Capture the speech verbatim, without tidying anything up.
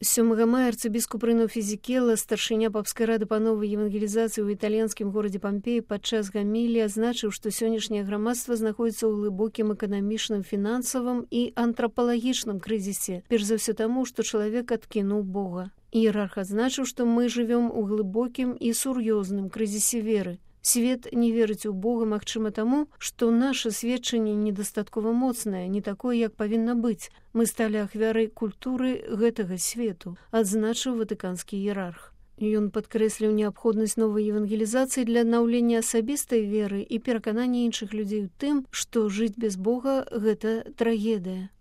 сёмага мая арцыбіскуп Рыно Фізікела, старшыня папскай рады па новай евангелізацыі ў італьянскім горадзе Пампеі падчас гамілі азначыў, што сённяшняе грамадства знаходзіцца ў глыбокім эканамічным, фінансавым і антрапалагічным крызісе, перш за ўсё таму, што чалавек адкінуў Бога. Іерарх адзначыў, што мы жывём у глыбокім і сур'ёзным крызісе веры. Свет не верыць у Бога, магчыма таму, што наша сведчанне недастаткова моцнае, не такое, як павінна быць. Мы сталі ахвярай культуры гэтага свету, адзначыў ватыканскі іерарх. Ён падкрэсліў неабходнасць новай евангелізацыі для аднаўлення асабістай веры і пераканання іншых людзей у тым, што жыць без Бога – гэта трагедыя.